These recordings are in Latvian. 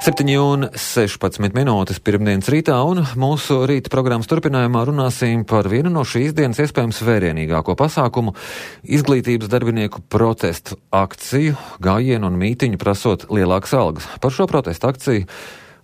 7:16 pirmdienas rītā, un mūsu rīta programmas turpinājumā runāsim par vienu no šīs dienas iespējams vērienīgāko pasākumu - izglītības darbinieku protestu akciju, gājienu un mītiņu prasot lielākas algas. Par šo protestu akciju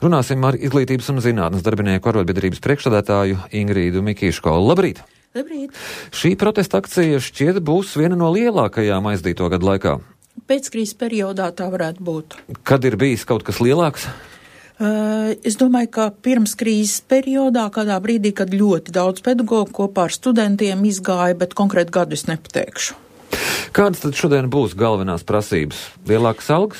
runāsim ar Izglītības un zinātnes darbinieku arotbiedrības priekšsēdētāju Ingrīdu Mikīško. Labrīt! Labrīt! Šī protesta akcija šķiet būs viena no lielākajām aizdīto gadu laikā. Pēckrīzes periodā tā varētu būt. Kad ir bijis kaut kas lielāks? Es domāju, ka pirms krīzes periodā, kādā brīdī, kad ļoti daudz pedagogu kopā ar studentiem izgāja, bet konkrēti gadu es nepateikšu. Kādas tad šodien būs galvenās prasības? Lielākas algas?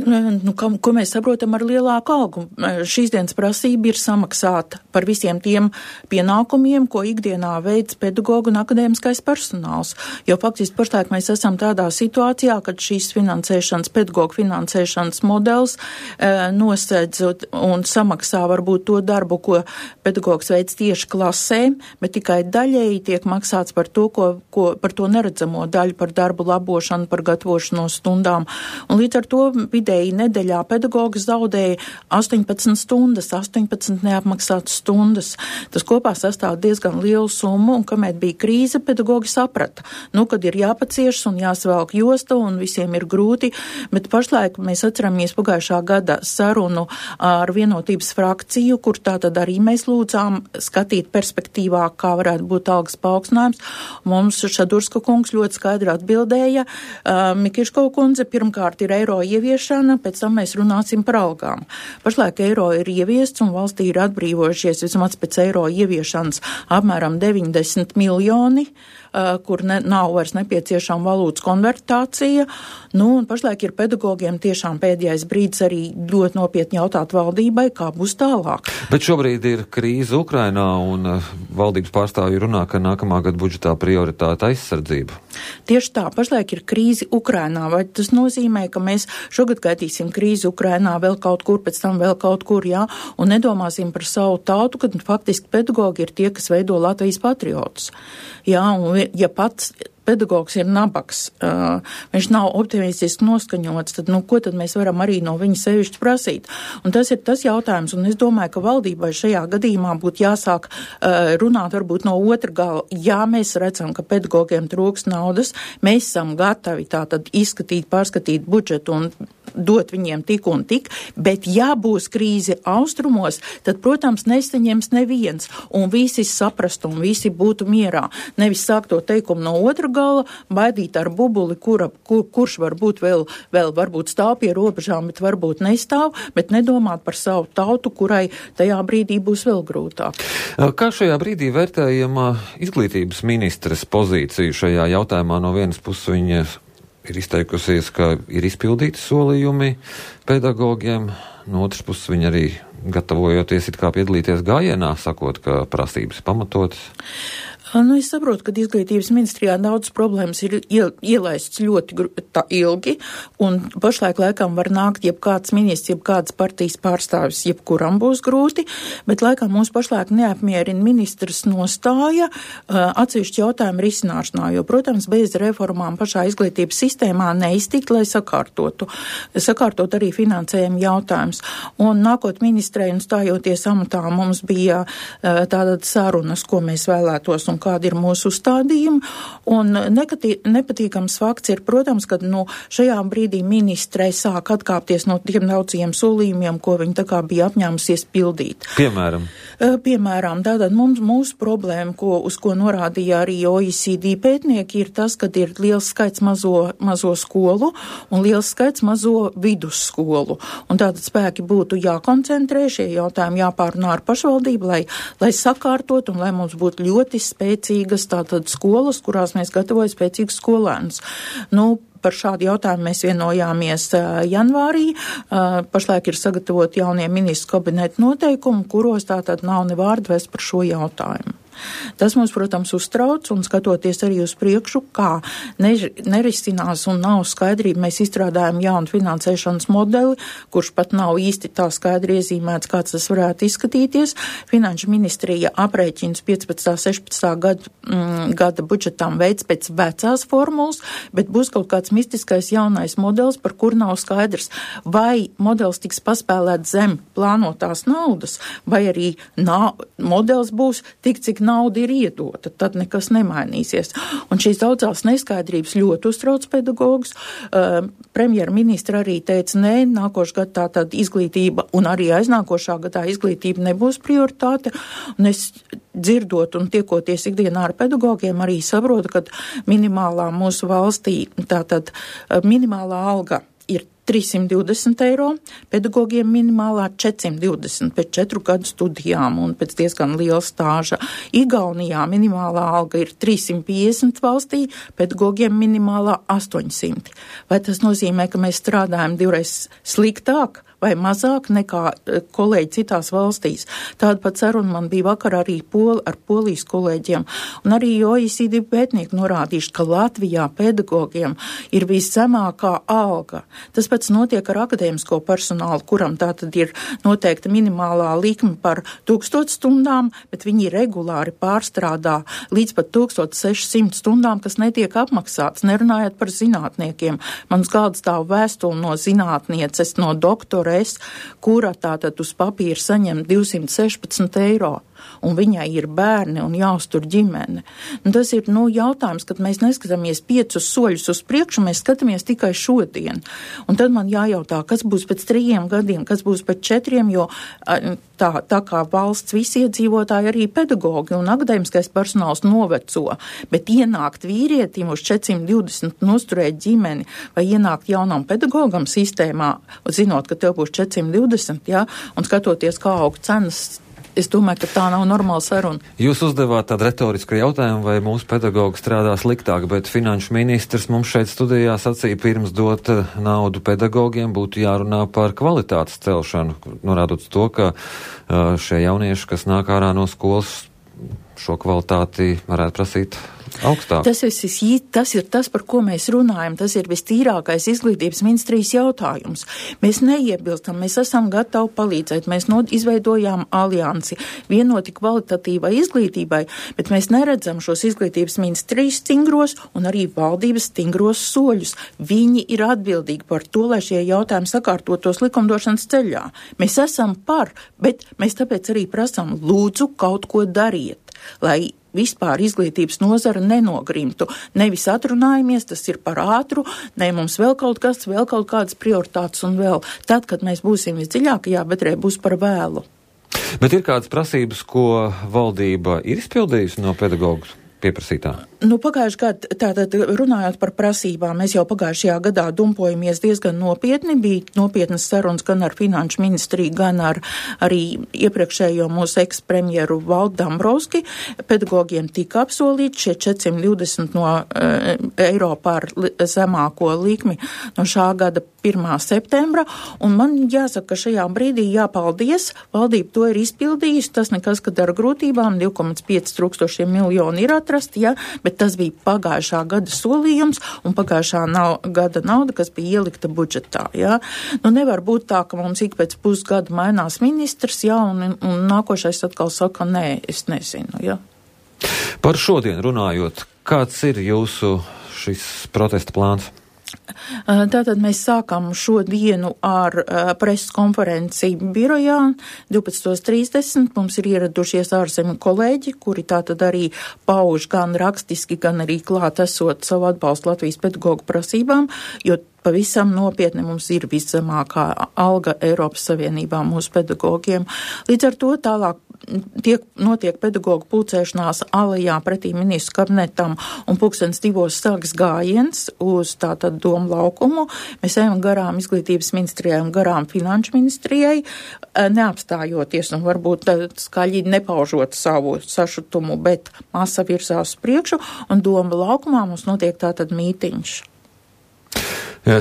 Ko mēs saprotam ar lielāku algu? Šīs dienas prasība ir samaksāt par visiem tiem pienākumiem, ko ikdienā veids pedagogu un akadēmiskais personāls. Jo faktiski pašlaik mēs esam tādā situācijā, kad šīs finansēšanas, pedagogu finansēšanas modelis nosedz un samaksā varbūt to darbu, ko pedagogs veids tieši klasē, bet tikai daļēji tiek maksāts par to, par to neredzamo daļu, par darbu labošanu, par gatavošanos stundām. Un līdz ar to nedēļā pedagogs zaudēja 18 stundas, 18 neapmaksātas stundas. Tas kopā sastāv diezgan lielu summu, un kamēr bija krīze, pedagogi saprata, kad ir jāpaciešas un jāsvelk josta, un visiem ir grūti, bet pašlaik mēs atceramies pagājušā gada sarunu ar vienotības frakciju, kur tātad arī mēs lūdzām skatīt perspektīvā, kā varētu būt algas paaugstinājums. Mums Šadurska kungs ļoti skaidri atbildēja, Mikiško kundze, pirmkārt ir eiro ieviešana, pēc tam mēs runāsim par algām. Pašlaik eiro ir ieviests un valstī ir atbrīvojušies vismaz pēc eiro ieviešanas apmēram 90 miljoni, kur nav vairs nepieciešama valūtas konvertācija. Un pašlaik ir pedagogiem tiešām pēdējais brīdis arī ļoti nopietni jautāt valdībai, kā būs tālāk. Bet šobrīd ir krīze Ukrainā un valdības pārstāvji runā, ka nākamā gada budžetā prioritāte aizsardzība. Tieši tā, pašlaik ir krīze Ukrainā. Vai tas nozīmē, ka mēs šogad gaidīsim krīzi Ukrainā vēl kaut kur, pēc tam vēl kaut kur, un nedomāsim par savu tautu, kad faktiski pedagogi ir tie, kas veido Latvijas patriotus. Un ja pats pedagogs ir nabaks, viņš nav optimistiski noskaņots, tad, ko tad mēs varam arī no viņa sevišķi prasīt? Un tas ir tas jautājums, un es domāju, ka valdībai šajā gadījumā būtu jāsāk runāt varbūt no otra gala. Jā, mēs redzam, ka pedagogiem trūks naudas, mēs esam gatavi tātad izskatīt, pārskatīt budžetu un dot viņiem tik un tik, bet ja būs krīze austrumos, tad, protams, nesaņems neviens, un visi saprast, un visi būtu mierā. Nevis sākt to teikumu no otra gala, baidīt ar bubuli, kurš varbūt vēl varbūt stāv pie robežām, bet varbūt nestāv, bet nedomāt par savu tautu, kurai tajā brīdī būs vēl grūtāk. Kā šajā brīdī vērtējama izglītības ministres pozīcija šajā jautājumā? No vienas puses viņa ir izteikusies, ka ir izpildīti solījumi pedagogiem, no otras puses viņa arī gatavojoties it kā piedalīties gājienā, sakot, ka prasības pamatotas. Es saprotu, ka izglītības ministrijā daudz problēmas ir ielaists ļoti ilgi, un pašlaik laikam var nākt jebkāds ministrs, jebkāds partijas pārstāvis, jebkuram būs grūti, bet laikam mūs pašlaik neapmierina ministrs nostāja atsevišķi jautājumu risināšanā, jo, protams, bez reformām pašā izglītības sistēmā neiztikt, lai sakārtot arī finansējumu jautājums. Un nākot ministrei un stājoties amatā, mums bija tātad sarunas, ko mēs vēlētos un kāda ir mūsu uzstādījuma, un nepatīkams fakts ir, protams, ka šajā brīdī ministrei sāk atkāpties no tiem daudziem solījumiem, ko viņi tā kā bija apņēmusies pildīt. Piemēram, tātad mūsu problēma, uz ko norādīja arī OECD pētnieki, ir tas, ka ir liels skaits mazo skolu un liels skaits mazo vidusskolu. Un tātad spēki būtu jākoncentrē, šie jautājumi jāpārunā ar pašvaldību, lai sakārtot un lai mums būtu ļoti spēcīgas tātad skolas, kurās mēs gatavojam spēcīgus skolēnus. Par šādu jautājumu mēs vienojāmies janvārī. Pašlaik ir sagatavot jaunie ministru kabineta noteikumi, kuros tātad nav ne vārda vairs par šo jautājumu. Tas mums, protams, uztrauc, un skatoties arī uz priekšu, kā nerisinās un nav skaidrība, mēs izstrādājam jaunu finansēšanas modeli, kurš pat nav īsti tā skaidri iezīmēts, kāds tas varētu izskatīties. Finanšu ministrija aprēķins 15. 16. gada budžetām veids pēc vecās formulas, bet būs kaut kāds mistiskais jaunais modelis, par kur nav skaidrs, vai modelis tiks paspēlēt zem plānotās naudas, vai arī modelis būs tik, cik nauda ir iedota, tad nekas nemainīsies. Un šīs daudzās neskaidrības ļoti uztrauc pedagogus. Premjerministra arī teica, nē, nākošais gadā tātad izglītība un arī aiznākošā gadā izglītība nebūs prioritāte. Un es dzirdot un tiekoties ikdienā ar pedagogiem arī saprotu, ka minimālā mūsu valstī, tātad minimālā alga ir 320 eiro, pedagogiem minimālā 420 pēc 4 gadu studijām un pēc diezgan liela stāža. Igaunijā minimālā alga ir 350 valstī, pedagogiem minimālā 800. Vai tas nozīmē, ka mēs strādājam divreiz sliktāk vai mazāk nekā kolēģi citās valstīs? Tāda pat saruna man bija vakar arī ar polijas kolēģiem, un arī OECD pētnieki norādījuši, ka Latvijā pedagogiem ir viszemākā alga. Tas pats notiek ar akadēmisko personālu, kuram tātad ir noteikta minimālā likme par 1000 stundām, bet viņi regulāri pārstrādā līdz pat 1600 stundām, kas netiek apmaksāts, nerunājot par zinātniekiem. Man uz galda stāv vēstule no zinātnieces, no doktora, kura tātad uz papīra saņem 216 eiro, un viņai ir bērni un jāuztur ģimene. Un tas ir, jautājums, kad mēs neskatāmies 5 soļus uz priekšu, mēs skatāmies tikai šodien. Un tad man jājautā, kas būs pēc 3 gadiem, kas būs pēc 4, jo tā kā valsts visi iedzīvotāji arī pedagogi un akadēmiskais personāls noveco, bet ienākt vīrietim uz 420 un uzturēt ģimeni, vai ienākt jaunam pedagogam sistēmā, zinot, ka tev būs 420, un skatoties, kā aug cenas, es domāju, ka tā nav normāla saruna. Jūs uzdevāt tādu retorisku jautājumu, vai mūsu pedagogi strādā sliktāk, bet finanšu ministrs mums šeit studijā sacīja, pirms dot naudu pedagogiem būtu jārunā par kvalitātes celšanu, norādot to, ka šie jaunieši, kas nāk ārā no skolas, šo kvalitāti varētu prasīt augstāk. Tas ir tas, par ko mēs runājam. Tas ir vistīrākais izglītības ministrijas jautājums. Mēs neiebilstam, mēs esam gatavi palīdzēt. Mēs izveidojām aliansi vienoti kvalitatīvai izglītībai, bet mēs neredzam šos izglītības ministrijas stingros un arī valdības stingros soļus. Viņi ir atbildīgi par to, lai šie jautājumi sakārtotos likumdošanas ceļā. Mēs esam par, bet mēs tāpēc arī prasām, lūdzu, kaut ko dariet, lai vispār izglītības nozara nenogrimtu. Nevis atrunājamies, tas ir par ātru, ne mums vēl kaut kādas prioritātes un vēl. Tad, kad mēs būsim visdziļākajā bedrē, būs par vēlu. Bet ir kādas prasības, ko valdība ir izpildījusi no pedagogu pieprasītā? Pagājušajā gadā, tātad runājot par prasībām, mēs jau pagājušajā gadā dumpojamies diezgan nopietni, bija nopietnas sarunas gan ar finanšu ministriju, gan ar arī iepriekšējo mūsu ekspremjeru Valdu Dombrovski. Pedagogiem tika apsolīti šie 420 eiro par zemāko likmi no šā gada 1. septembra, un man jāsaka, ka šajā brīdī jāpaldies, valdība to ir izpildījusi, tas nekas, kad ar grūtībām 2,5 miljoni ir atrasti, bet tas bija pagājušā gada solījums un pagājušā gada nauda, kas bija ielikta budžetā, nevar būt tā, ka mums ik pēc pusgada mainās ministrs, un nākošais atkal saka, nē, es nezinu, Par šodien runājot, kāds ir jūsu šis protesta plāns? Tātad mēs sākam šodienu ar preses konferenci birojā 12:30. Mums ir ieradušies ārzemju kolēģi, kuri tātad arī pauž gan rakstiski, gan arī klāt esot savu atbalstu Latvijas pedagogu prasībām, jo pavisam nopietni mums ir viszemākā alga Eiropas Savienībā mūsu pedagogiem. Līdz ar to tālāk notiek pedagogu pulcēšanās alejā pretī ministru kabinetam un 2:00 sāks gājiens uz tātad Domu laukumu. Mēs ejam garām izglītības ministrijai un garām finanšu ministrijai, neapstājoties un varbūt skaļi nepaužot savu sašutumu, bet masa virzās priekšu un Domu laukumā mums notiek tātad mītiņš.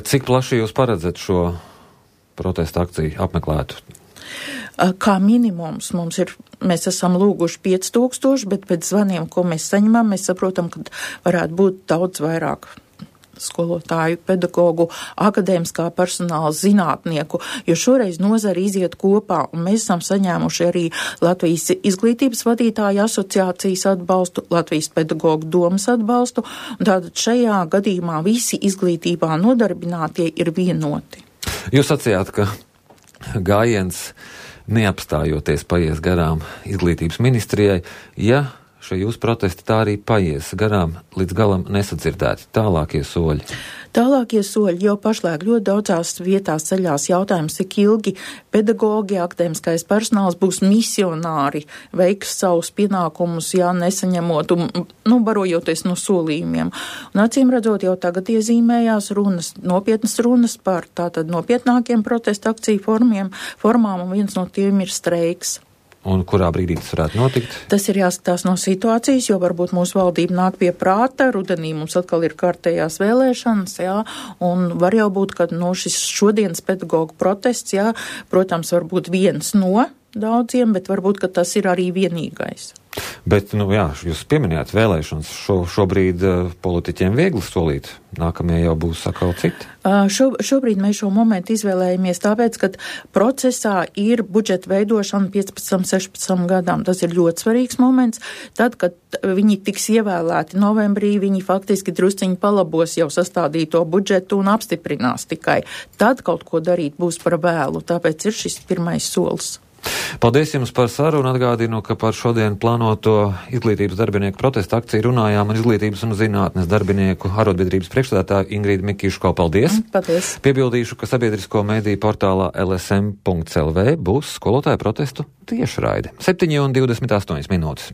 Cik plaši jūs paredzat šo protesta akciju apmeklētu? Kā minimums mēs esam lūguši 5000, bet pēc zvaniem, ko mēs saņemam, mēs saprotam, ka varētu būt daudz vairāk skolotāju, pedagogu, akadēmiskā personāla, zinātnieku, jo šoreiz nozara iziet kopā, un mēs esam saņēmuši arī Latvijas izglītības vadītāju asociācijas atbalstu, Latvijas pedagogu domas atbalstu, un tātad šajā gadījumā visi izglītībā nodarbinātie ir vienoti. Jūs sacījāt, ka gājiens neapstājoties paies garām izglītības ministrijai, ja šie jūsu protesti tā arī paies garām, līdz galam nesadzirdēti. Tālākie soļi. Tālākie soļi jau pašlaik ļoti daudzās vietās ceļās jautājums, cik ilgi pedagogi, akadēmiskais personāls būs misionāri, veiks savus pienākumus, ja nesaņemot, barojoties no solījumiem. Un acīm redzot, jau tagad iezīmējās nopietnas runas par tātad nopietnākiem protesta akciju formām, un viens no tiem ir streiks. Un kurā brīdī tas varētu notikt? Tas ir jāskatās no situācijas, jo varbūt mūsu valdība nāk pie prāta, rudenī mums atkal ir kārtējās vēlēšanas, un var jau būt, ka šis šodienas pedagogu protests, protams, varbūt viens no daudziem, bet varbūt, ka tas ir arī vienīgais. Bet, jūs pieminējāt vēlēšanas. Šobrīd politiķiem viegli solīt. Nākamie jau būs atkal citi. Šobrīd mēs šo momentu izvēlējamies tāpēc, ka procesā ir budžeta veidošana 15-16 gadām. Tas ir ļoti svarīgs moments. Tad, kad viņi tiks ievēlēti novembrī, viņi faktiski drusciņi palabos jau sastādīto budžetu un apstiprinās tikai. Tad kaut ko darīt būs par vēlu. Tāpēc ir šis pirmais solis. Paldies jums par sarunu. Atgādinu, ka par šodien plānoto izglītības darbinieku protesta akciju runājām ar izglītības un zinātnes darbinieku arotbiedrības priekšsēdētāju Ingrīdu Mikiško. Paldies! Paldies! Piebildīšu, ka sabiedrisko mediju portālā lsm.lv būs skolotāju protestu tiešraide. 7:28 minūtes.